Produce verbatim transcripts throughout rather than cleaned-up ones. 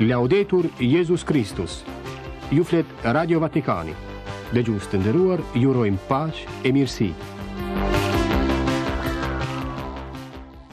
Laudetur Jezus Kristus. Ju flet Radio Vatikani. Dëgjues të nderuar, ju urojmë paqe e mirësi.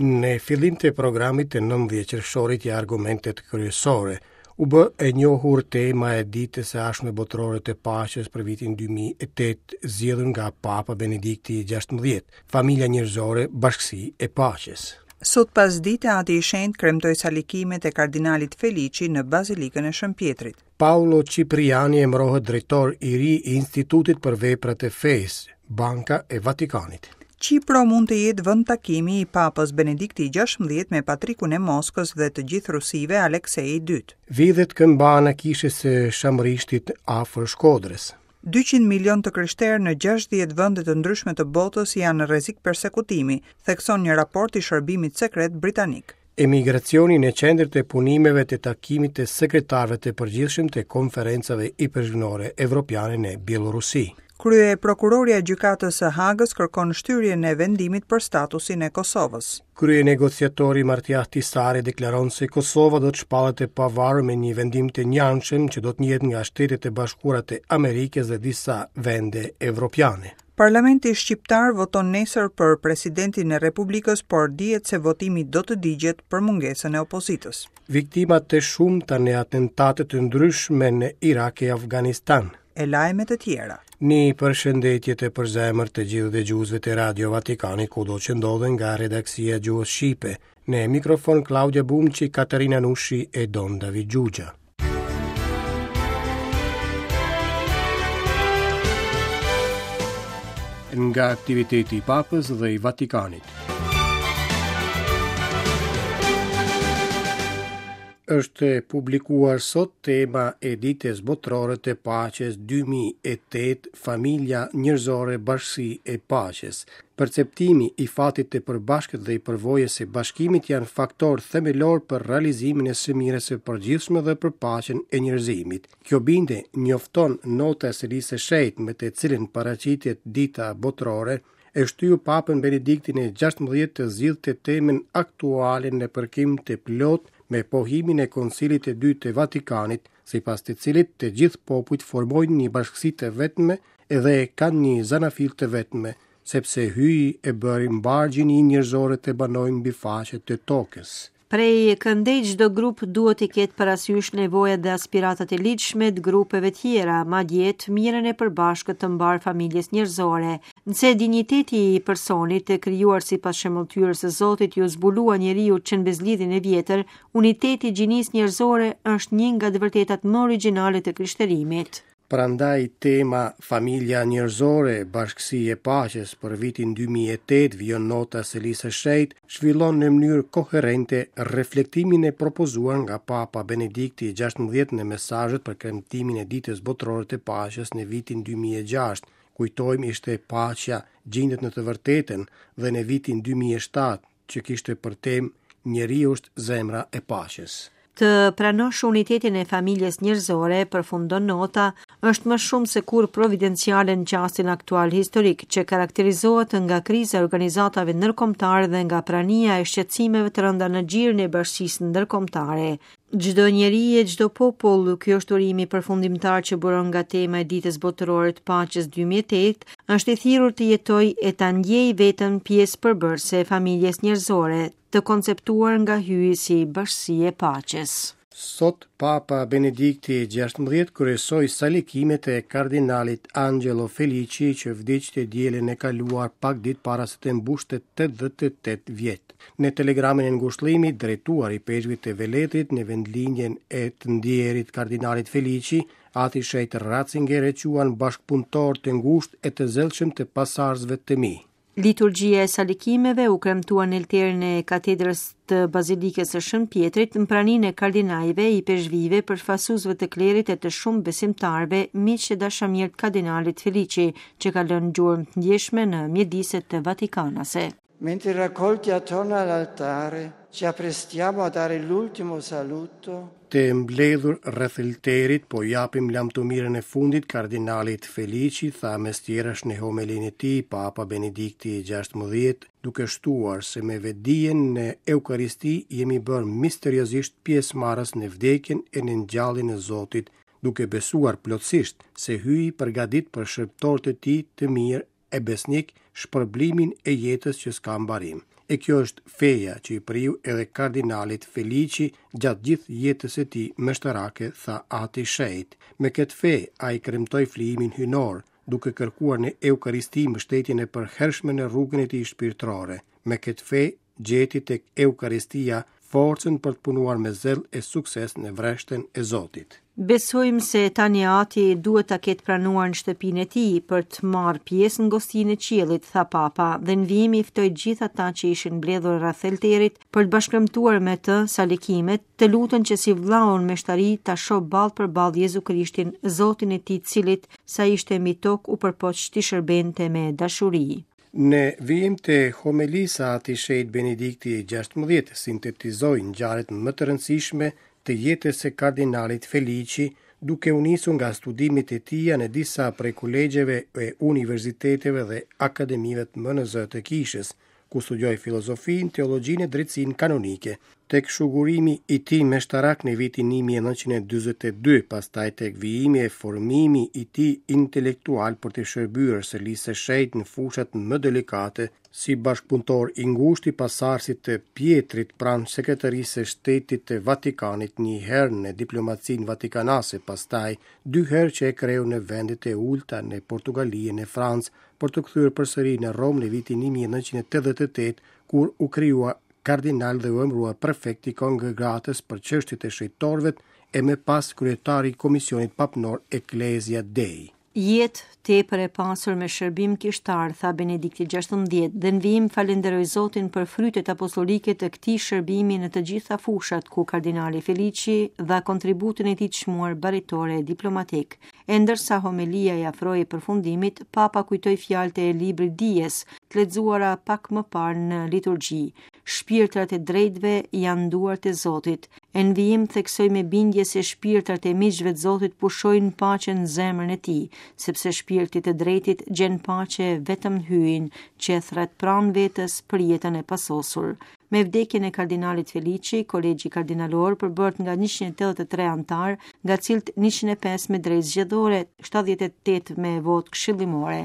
Në fillim të programit të nëntëmbëdhjetë qershorit ja argumentet kryesore, u bë e njohur tema e ditës së ardhshme botërore të paqes për vitin dy mijë e tetë, zgjedhur nga Papa Benedikti i gjashtëmbëdhjetë, familja njerëzore, bashkësi e paqes. Sot pas dite, Ati i Shenjtë kremtoi salikimet e kardinalit Felici në Bazilikën e Shën Pjetrit. Paolo Cipriani emërohet drejtor i ri i Institutit për Veprat e Fesë, Banka e Vatikanit. Qipro mund të jetë vend takimi i Papës Benedikti i gjashtëmbëdhjetë me Patrikun e Moskës dhe të gjithë Rusive Aleksei i dytë. Vidhet këmbana kishës së Shamrishtit afër Shkodrës. dyqind milion të krishterë në gjashtëdhjetë vende të ndryshme të botës janë në rrezik persekutimi, thekson një raport i shërbimit sekret britanik. Emigracioni në qendër të punimeve të takimit të sekretarëve të përgjithshëm të konferencave ipeshkvnore evropiane në Bielorusi. Krye prokuroria e gjykatës së Hagës kërkon shtyrjen e vendimit për statusin e Kosovës. Krye negociatori Martti Ahtisaari deklaron se Kosova do të shpallet e pavarur me një vendim të njanshëm që do të njihet nga Shtetet e Bashkuara të Amerikës dhe disa vende evropiane. Parlamenti shqiptar voton nesër për presidentin e Republikës, por dihet se votimi do të digjet për mungesën e opozitës. Viktimat të shumta në atentate të ndryshme në Irak e Afganistan. E lajme të tjera. Një përshëndetje të përzemër të gjithë dëgjuesve të Radio Vatikanit kudo që ndodhen nga redaksia gjuhës shqipe. Në mikrofon Klaudia Bumçi, Katerina Nushi e Don David Gjugja. Nga aktiviteti i Papës dhe i Vatikanit. Është publikuar sot tema e ditës botërore të paqes dy mijë e tetë, familja njerëzore, bashkësi e paqes. Perceptimi i fatit të përbashkët dhe i përvojës së bashkimit janë faktor themelor për realizimin e së mirës së përgjithshme dhe për paqen e njerëzimit. Kjo bindje njofton nota e Selisë së Shenjtë me të cilën paraqitet dita botërore, e shtyu Papën Benediktin e gjashtëmbëdhjetë të zgjidhte temën aktuale në përkim të plot me pohimin e Koncilit të Dytë të Vatikanit, sipas të cilit të gjithë popujt formojnë një bashkësi të vetme edhe kanë një zanafil të vetme, sepse Hyji e bëri mbarë gjininë njerëzore të banojnë mbi faqe të tokës. Prej këndej çdo grup duhet të ketë parasysh nevojat dhe aspiratat e ligjshme të grupeve tjera, madje të mirën e përbashkët të mbar familjes njerëzore. Nëse dinjiteti i personit të krijuar sipas shembulltyrës së Zotit ju zbulua njeriu që në bezlidhjen e vjetër, uniteti i gjinisë njerëzore është një nga të vërtetat më origjinale të krishterimit. Prandaj tema Familja njerëzore, bashkësi e paqes për vitin dy mijë e tetë vijon nota Selisë së Shenjtë, zhvillon në mënyrë koherente reflektimin e propozuar nga Papa Benedikti i gjashtëmbëdhjetë në mesazhet për kremtimin e ditës botërore të paqes në vitin dy mijë e gjashtë. Kujtojmë ishte paqja gjendet në të vërtetën dhe në vitin dy mijë e shtatë që kishte për temë Njeriu është zemra e paqes. Të pranosh unitetin e familjes njerëzore, përfundon nota, është më shumë se kur providenciale në çastin aktual historik, që karakterizohet nga kriza e organizatave ndërkombëtare dhe nga prania e shqetësimeve të rënda në gjirin e bashkësisë ndërkombëtare. Çdo njeri e çdo popull, ky është urimi përfundimtar që buron nga tema e ditës botërore të paqes dy mijë e tetë, është i thirrur të jetojë e ta ndjejë veten pjesë përbërëse e familjes njerëzore, të konceptuar nga Hyji si bashkësi e paqes. Sot Papa Benedikti i gjashtëmbëdhjetë kryesoi salikimet e kardinalit Angelo Felici që vdiq të dielën e kaluar pak ditë para se të mbushte tetëdhjetë e tetë vjet. Në telegramin e ngushëllimit drejtuar i peshkvit të Veletrit në vendlindjen e të ndjerit kardinalit Felici, Ati Shenjt Ratzinger e quan bashkëpunëtor të ngushtë e të zellshëm të pasardhësve të mi. Liturgjia e salikimeve u kremtua në altarin e katedrës të Bazilikës së Shën Pjetrit në praninë e kardinajve, i peshvive, përfaqësuesve të klerit e të shumë besimtarëve, miq e dashamirë të kardinalit Felici, që ka lënë gjurmë të ndjeshme në mjediset të Vatikanase. Mentre raccolti attorno all'altare ci apprestiamo a dare l'ultimo saluto, Të mbledhur rreth altarit po japim lamtumirën e fundit kardinalit Felici, tha mes tjerash në homelinë e tij Papa Benedikti gjashtëmbëdhjetë, duke shtuar se me vetëdijen në Eukaristi jemi bërë misteriozisht pjesëmarrës në vdekjen e në ngjalljen e Zotit, duke besuar plotësisht se Hyji përgatit për shërbëtorët e tij të mirë e besnik shpërblimin e jetës që s'ka mbarim. E kjo është feja që i priu edhe kardinalit Felici gjatë gjithë jetës së tij meshtarake, tha Ati Shenjt. Me këtë fe ai kremtoi flijimin hyjnor, duke kërkuar në Eukaristi mbështetjen e përhershme në rrugën e tij shpirtërore. Me këtë fe gjeti tek Eukaristia forcën për të punuar me zell e sukses në vreshtën e Zotit. Besojmë se tani Ati duhet ta ketë pranuar në shtëpinë e tij për të marrë pjesë në gostinë e qiellit, tha Papa, dhe në vijim i ftoi gjithë ata që ishin mbledhur rreth altarit për të bashkëkremtuar me të salikimet, të luten që si vllaun meshtari ta shoh ballë për ballë Jezu Krishtin, Zotin e tij, cilit sa ishte mbi tokë u përpoq t'i shërbente me dashuri. Në vijim të homelisë, Ati Shenjt Benedikti gjashtëmbëdhjetë sintetizoi ngjarjet më të rëndësishme të jetës së kardinalit Felici, duke u nisur nga studimet e tija në disa prej kolegjeve e universiteteve dhe akademive më në zë të kishës, ku studioi filozofinë, teologjinë e drejtësinë kanonike. Tek shugurimi i tij meshtarak në vitin një mijë e nëntëqind e dyzet e dy, pastaj tek vijimi e formimi i tij intelektual për të shërbyer selisë së shenjtë në fushat më delikate, si bashkëpunëtor i ngushtë i pasardhësit të Pietrit pranë Sekretarisë së Shtetit të Vatikanit, një herë në diplomacinë vatikanase, pastaj dy herë që e kreu në vendet e ulta në Portugali e në Francë, për të kthyer përsëri në Romë në vitin një mijë e nëntëqind e tetëdhjetë e tetë, kur u krijua kardinal dhe u emërua prefekt i kongregatës për çështjet e shenjtorëve e më pas kryetari i Komisionit Papnor Ecclesia Dei. Jetë tepër e pasur me shërbim kishtar, tha Benedikti gjashtëmbëdhjetë, dhe në vijim falenderoi Zotin për frytet apostolike të këtij shërbimi në të gjitha fushat ku kardinali Felici dha kontributin e tij të çmuar baritore e diplomatik. E ndërsa homelia i afroi përfundimit, Papa kujtoi fjalët e librit Dijes, të lexuara pak më parë në liturgji. Shpirtrat e drejtëve janë duart e Zotit. E në vijim theksoi me bindje se shpirtrat e miqve të Zotit pushojnë paqen në zemrën e tij, sepse shpirti të drejtit gjen paqe vetëm në Hyjin, që e thret pranë vetes për jetën e pasosur. Me vdekjen e kardinalit Felici, kolegji kardinalor përbëhet nga njëqind e tetëdhjetë e tre antar, nga cilët njëqind e pesë me drejtë zgjedhore, shtatëdhjetë e tetë me votë këshillimore.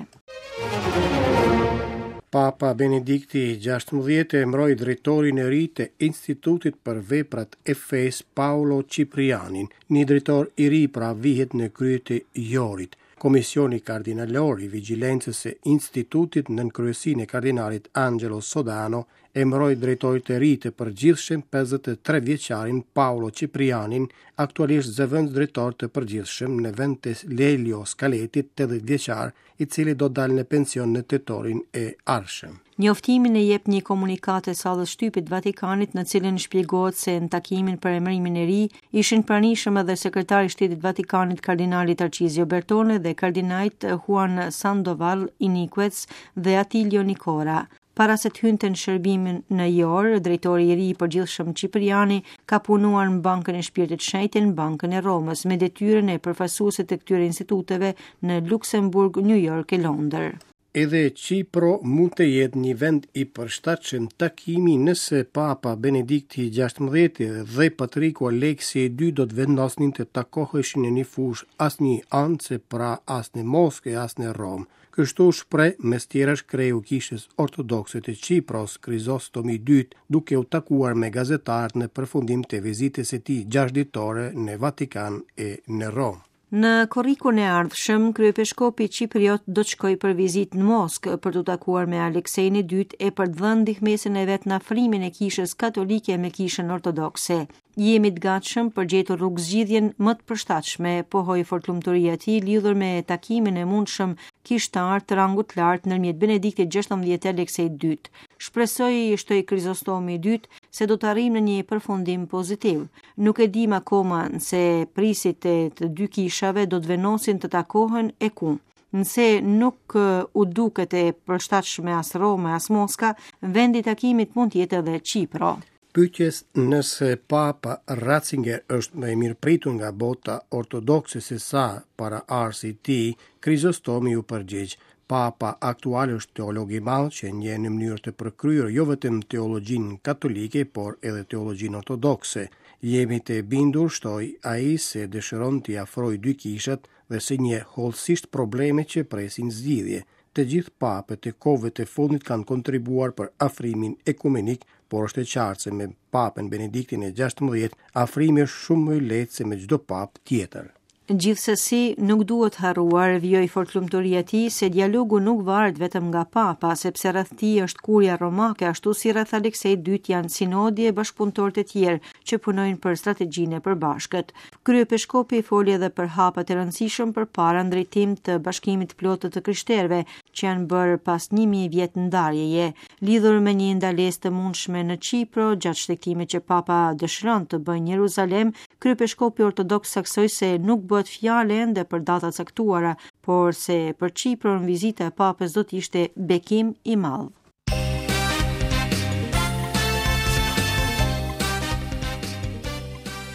Papa Benedikti gjashtëmbëdhjetë emëroi drejtorin e ri të Institutit për Veprat e Fesë Paolo Ciprianin. Një drejtor i ri pra vihet në krye të Jorit. Komisioni Kardinalor i Vigjilencës së Institutit nën kryesinë e kardinalit Angelo Sodano emëroi drejtorit të ri të përgjithshëm pesëdhjetë e tre vjeçarin Paolo Ciprianin, aktualisht zëvendës drejtor të përgjithshëm në vend të Lelio Scaletit, tetëdhjetë vjeçar, i cili do dalë në pension në tetorin e ardhshëm. Njoftimin e jep një komunikatë e sallës shtypit të Vatikanit, në cilën shpjegohet se në takimin për emërimin e ri ishin pranishëm edhe sekretari i Shtetit të Vatikanit kardinali Tarcizio Bertone dhe kardinajt Juan Sandoval Iniquez dhe Attilio Nicora. Para se të hynte në shërbimin në Jor, drejtori i ri i përgjithshëm Cipriani ka punuar në Bankën e Shpirtit Shenjtë në Bankën e Romës me detyrën e përfaqësuesit të këtyre instituteve në Luksemburg, New York e Londër. Edhe Qipro mund të jetë një vend i përshtatshëm takimi nëse Papa Benedikti gjashtëmbëdhjetë dhe Patriku Aleksi i dytë do të vendosnin të takoheshin në një fushë asnjë anë, se pra as në Moskë e as në Romë. Kështu shpreh mes tjerash kreu kishës ortodokse të Qipros, Krizostomi i dytë, duke u takuar me gazetarët në përfundim të vizitës së tij gjashtë ditore në Vatikan e në Romë. Në korrikun e ardhshëm, kryepeshkopi Qipriot do të shkojë për vizitë në Moskë për t'u takuar me Aleksejin e dytë e për të dhënë ndihmesën e vet në afrimin e kishës katolike me kishën ortodokse. Jemi të gatshëm për gjetur rrugë zgjidhjen më të përshtatshme, pohoi fortlumturia e tij lidhur me takimin e mundshëm kishtar të rangut të lartë ndërmjet Benediktit gjashtëmbëdhjetë e Aleksejit të dytë. Shpresoj, shtoi Krizostomi i dytë, se do të arrijmë në një përfundim pozitiv. Nuk e dim akoma nëse prisit e të dy kishave do të vendosin të takohen e ku. Nëse nuk u duket e përshtatshme as Roma as Moska, vendi i takimit mund të jetë edhe Qipro. Pyetjes nëse Papa Ratzinger është më i mirëpritur nga bota ortodokse se sa paraardhësi i tij, Krizostomi u përgjigj: Papa aktual është teolog i madh që njeh në mënyrë të përkryer jo vetëm teologjinë katolike, por edhe teologjinë ortodokse. Jemi të bindur, shtoi ai, se dëshiron t'i afrojë dy kishat dhe se njeh hollësisht problemet që presin zgjidhje. Të gjithë papët e kohëve të fundit kanë kontribuar për afrimin ekumenik, por është e qartë se me Papën Benediktin e gjashtëmbëdhjetë afrimi është shumë më i lehtë se me çdo papë tjetër. Gjithsesi, nuk duhet harruar, vijoi fortlumturia e tij, se dialogu nuk varet vetëm nga papa, sepse rreth tij është kuria romake, ashtu si rreth Aleksejit të dytë janë sinodi e bashkëpunëtorët e tjerë që punojnë për strategjinë e përbashkët. Kryepeshkopi foli edhe për hapat e rëndësishëm përpara në drejtim të bashkimit të plotë të krishterëve, që janë bërë pas një mijë vjet ndarjeje, lidhur me një ndalesë të mundshme në Qipro gjatë shtegtimit që papa dëshiron të bëjë në Jeruzalem. Kryepeshkopi ortodoks saksoi se nuk bëhet fjalë ende për data caktuara, por se për Qipron vizita e papës do të ishte bekim i madh.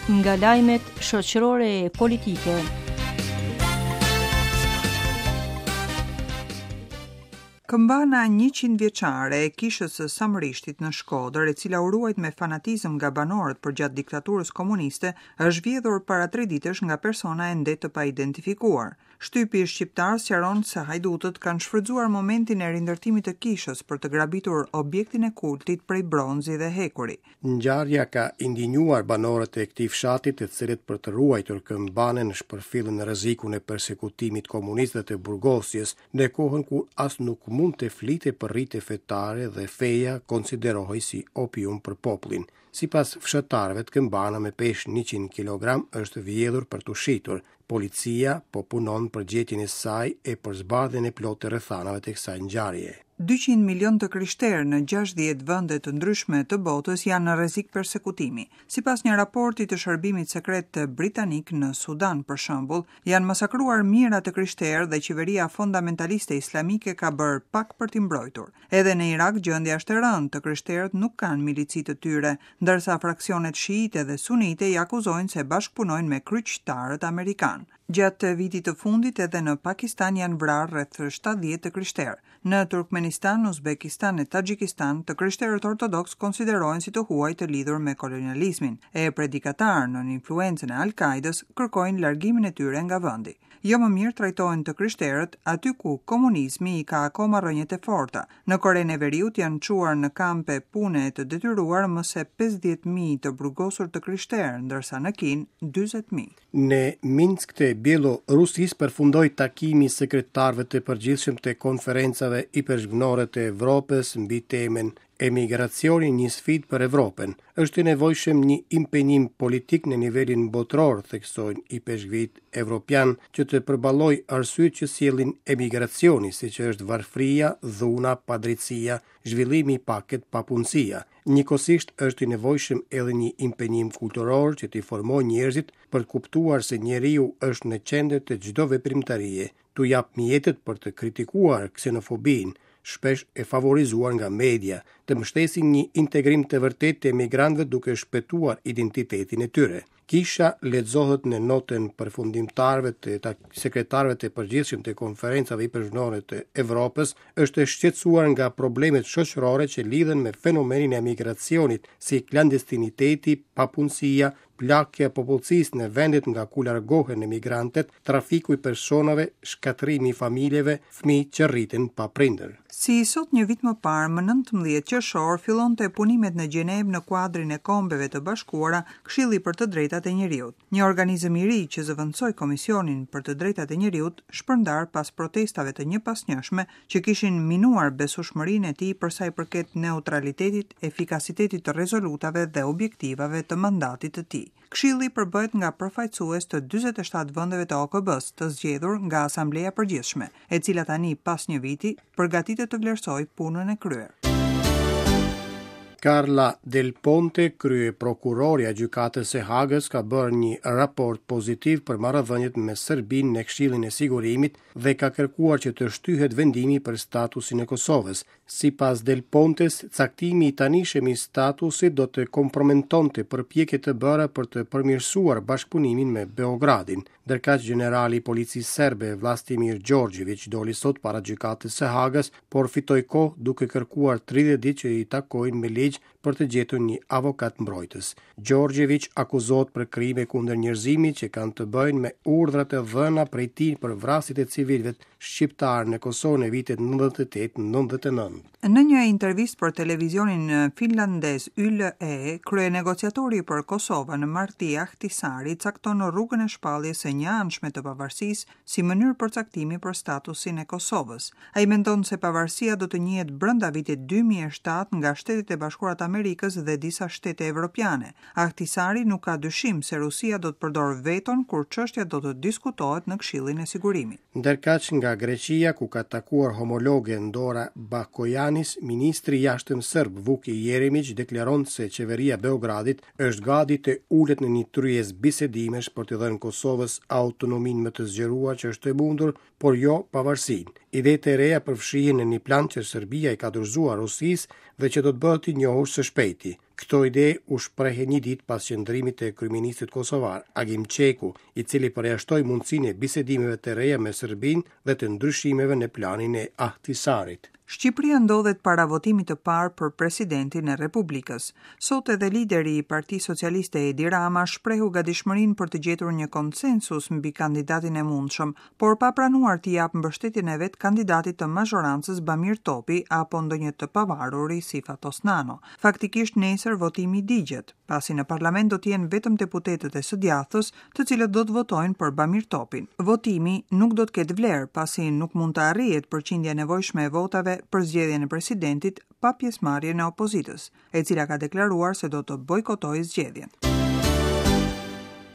Nga lajmet shoqërore e politike. Këmbana njëqind vjeçare e kishës së Samrishtit në Shkodër, e cila u ruajt me fanatizëm nga banorët përgjatë diktaturës komuniste, është vjedhur para tre ditësh nga persona ende të paidentifikuar. Shtypi shqiptar sqaron se hajdutët kanë shfrytzuar momentin e rindërtimit të kishës për të grabitur objektin e kultit prej bronzi dhe hekuri. Ngjarja ka indinjuar banorët e këtij fshati, të cilët për të ruajtur këmbanën shpërfillën rrezikun e persekutimit komunist dhe të burgosjes, në kohën kur as nuk mund të flite për rite fetare dhe feja konsiderohej si opium për popullin. Sipas fshatarëve, këmbana me peshë njëqind kilogram është vjedhur për t'u shitur. Policia po punon për gjetjen e saj e për zbardhjen e plotë të rrethanave të kësaj ngjarje. dyqind milion të krishterë në gjashtëdhjetë vende të ndryshme të botës janë në rrezik persekutimi. Sipas një raporti të shërbimit sekret britanik në Sudan, për shembull, janë masakruar mijëra të krishterë dhe qeveria fundamentaliste islamike ka bërë pak për t'i mbrojtur. Edhe në Irak gjendja është e rëndë, të krishterët nuk kanë milici të tyre, ndërsa fraksionet shiite dhe sunite i akuzojnë se bashkëpunojnë me kryqtarët amerikanë. Gjatë vitit të fundit edhe në Pakistan janë vrarë rreth shtatëdhjetë të krishterë. Në Turkmenistan, Uzbekistan e Taxhikistan, të krishterët ortodoks konsiderohen si të huaj të lidhur me kolonializmin, e predikatarë nën influencën e Al-Qaidës kërkojnë largimin e tyre nga vendi. Jo më mirë trajtohen të krishterët aty ku komunizmi i ka akoma rrënjët e forta. Në Korenë e Veriut janë çuar në kampe pune të detyruar më se pesëdhjetë mijë të burgosur të krishterë, ndërsa në Kinë dyzet mijë. Në Minsk të Bjellorusisë përfundoi takimi i sekretarëve të përgjithshëm të konferencave ipeshkvnore të Evropës mbi temën Emigracioni një sfidë për Evropën. Është i nevojshëm një impenjim politik në nivelin botëror, theksojnë ipeshkvit evropian, që të përballojë arsyet që sjellin emigracioni, siç është varfëria, dhuna, padrejtësia, zhvillimi i pakët, papunësia. Njëkohësisht është i nevojshëm edhe një impenjim kulturor që t'i formojë njerëzit për të kuptuar se njeriu është në qendër të çdo veprimtarie, t'u jap mjetet për të kritikuar ksenofobinë, shpesh e favorizuar nga media, të mbështesin një integrim të vërtetë të emigrantëve duke shpëtuar identitetin e tyre. Kisha lexohet në notën përfundimtarëve të sekretarëve të përgjithshëm të konferencave ipeshkvnore të Evropës, është e shqetësuar nga problemet shoqërore që lidhen me fenomenin e emigracionit, si klandestiniteti, papunësia, plakja e popullsisë në vendet nga ku largohen emigrantët, trafiku i personave, shkatërrimi i familjeve, fëmijë që rriten pa prindër. Si sot një vit më parë, më nëntëmbëdhjetë qershor, fillonte punimet në Gjenevë në kuadrin e Kombeve të Bashkuara, Këshilli për të Drejtat e Njeriut. Një organizëm i ri që zëvendësoi Komisionin për të Drejtat e Njeriut, shpërndar pas protestave të njëpasnjëshme që kishin minuar besueshmërinë e tij për sa i përket neutralitetit, efikasitetit të rezolutave dhe objektivave të mandatit të tij. Këshilli përbëhet nga përfaqësues të dyzet e shtatë vendeve të O K B-s të zgjedhur nga Asambleja e Përgjithshme, e cila tani pas një viti përgatitet të vlerësojë punën e kryer. Carla Del Ponte, kryeprokurorja e Gjykatës së Hagës, ka bërë një raport pozitiv për marrëdhëniet me Serbinë në Këshillin e Sigurimit dhe ka kërkuar që të shtyhet vendimi për statusin e Kosovës. Sipas Del Pontes, caktimi i tanishëm i statusit do të kompromentonte përpjekjet të bëra për të përmirësuar bashkëpunimin me Beogradin. Ndërkaq gjenerali i policisë serbe Vlastimir Gjorgjević doli sot para Gjykatës së Hagës, por fitoi kohë duke kërkuar tridhjetë ditë që i takojnë me ligj për të gjetur një avokat mbrojtës. Gjorgjević akuzohet për krime kundër njerëzimit që kanë të bëjnë me urdhrat e dhëna prej tij për vrasjet e civilëve shqiptar në Kosovë në vitet nëntëdhjetë e tetë nëntëdhjetë e nëntë. Në një intervistë për televizionin finlandez Y L E, kryenegociatori për Kosovën Martti Ahtisaari cakton rrugën e shpalljes së njëanshme të pavarësisë si mënyrë përcaktimi për statusin e Kosovës. Ai mendon se pavarësia do të njihet brenda vitit dy mijë e shtatë nga Shtetet e Bashkuara të Amerikës dhe disa shtete evropiane. Ahtisaari nuk ka dyshim se Rusia do të përdorë veton kur çështja do të diskutohet në Këshillin e Sigurimit. Ndërkaq nga Greqia, ku ka takuar homologen Dora Bakojanis, ministri i jashtëm serb Vuk Jeremić deklaron se qeveria e Beogradit është gati të ulet në një tryezë bisedimesh për të dhënë Kosovës autonominë më të zgjeruar që është e mundur, por jo pavarësinë. Idetë e reja përfshihen në një plan që Serbia i ka dorëzuar Rusisë dhe që do të bëhet i njohur së shpejti. Këto ide u shprehën një ditë pas qëndrimit të kryeministrit kosovar Agim Çeku, i cili përjashtoi mundësinë e bisedimeve të reja me Serbinë dhe të ndryshimeve në planin e Ahtisarit. Shqipëria ndodhet para votimit të parë për presidentin e Republikës. Sot edhe lideri i Partisë Socialiste Edi Rama shprehu gatishmërinë për të gjetur një konsensus mbi kandidatin e mundshëm, por pa pranuar t'i japë mbështetjen e vet kandidatit të mazhorancës Bamir Topi apo ndonjë të pavaruri si Fatos Nano. Faktikisht nesër votimi digjet, pasi në parlament do të jenë vetëm deputetët e së djathtës, të cilët do të votojnë për Bamir Topin. Votimi nuk do të ketë vlerë, pasi nuk mund të arrihet përqindja e nevojshme e votave për zgjedhjen e presidentit pa pjesëmarrjen e opozitës, e cila ka deklaruar se do të bojkotojë zgjedhjen.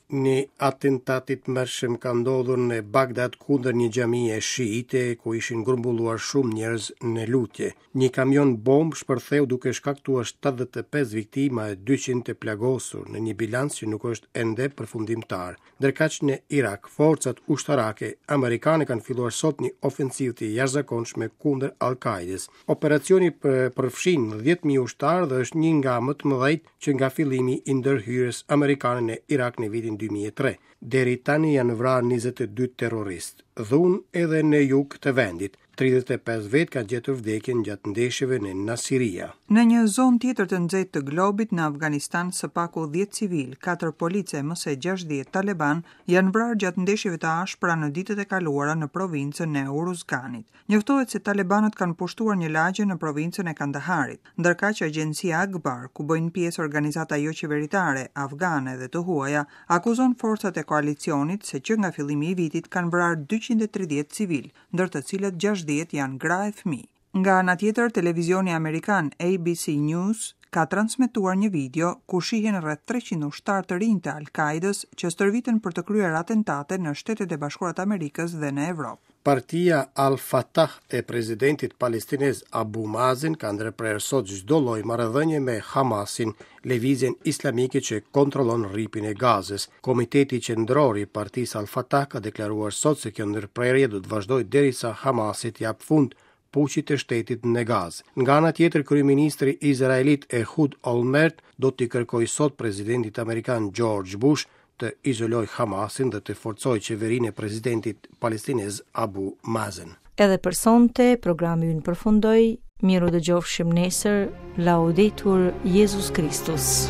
Një atentat i tmerrshëm ka ndodhur në Bagdad kundër një xhamie shiite ku ishin grumbulluar shumë njerëz në lutje. Një kamion bombë shpërtheu duke shkaktuar shtatëdhjetë e pesë viktima e dyqind të plagosur në një bilanc që nuk është ende përfundimtar. Ndërkaq në Irak, forcat ushtarake amerikane kanë filluar sot një ofensivë të jashtëzakonshme kundër Al-Qaidës. Operacioni për-, përfshin dhjetë mijë ushtarë dhe është një nga më të mëdhenjtë që nga fillimi i ndërhyrjes amerikane në Irak në vitin dy mijë e tre. Deri tani janë vrarë njëzet e dy terroristë. Dhunë edhe në jug të vendit. Tridhjetë e pesë vetë kanë gjetur vdekjen gjatë ndeshjeve në Nasiria. Në një zonë tjetër të nxehtë të globit, në Afganistan, së paku dhjetë civil, katër policë e më se gjashtëdhjetë taleban janë vrarë gjatë ndeshjeve të ashpra në ditët e kaluara në provincën e Uruzganit. Njoftohet se talebanët kanë pushtuar një lagje në provincën e Kandaharit, ndërkaq agjencia Akbar, ku bëjnë pjesë organizata joqeveritare, afgane dhe të huaja, akuzon forcat e koalicionit se që nga fillimi i vitit kanë vrarë dyqind e tridhjetë civil, ndër të cilët gjashtëdhjetë janë gra e fëmijë. Nga ana tjetër, televizioni amerikan A B C News ka transmetuar një video ku shihen rreth treqind ushtarë të rinj të Al-Qaidës që stërviten për të kryer atentate në Shtetet e Bashkuara të Amerikës dhe në Evropë. Partia Al-Fatah e presidentit palestinez Abu Mazen ka ndërprerë sot çdo lloj marrëdhënie me Hamasin, lëvizjen islamike që kontrollon rripin e Gazës. Komiteti Qendror i Partisë Al-Fatah ka deklaruar sot se kjo ndërprerje do të vazhdojë derisa Hamasi të japë fund puqit të shtetit në Gazë. Nga ana tjetër, kryeministri izraelit Ehud Olmert do t'i kërkojë sot presidentit amerikan George Bush të izolojë Hamasin dhe të forcojë qeverinë e presidentit palestinez Abu Mazen. Edhe për sonte, programi ynë përfundoi. Miru dëgjofshim nesër. Laudetur Jezus Kristus.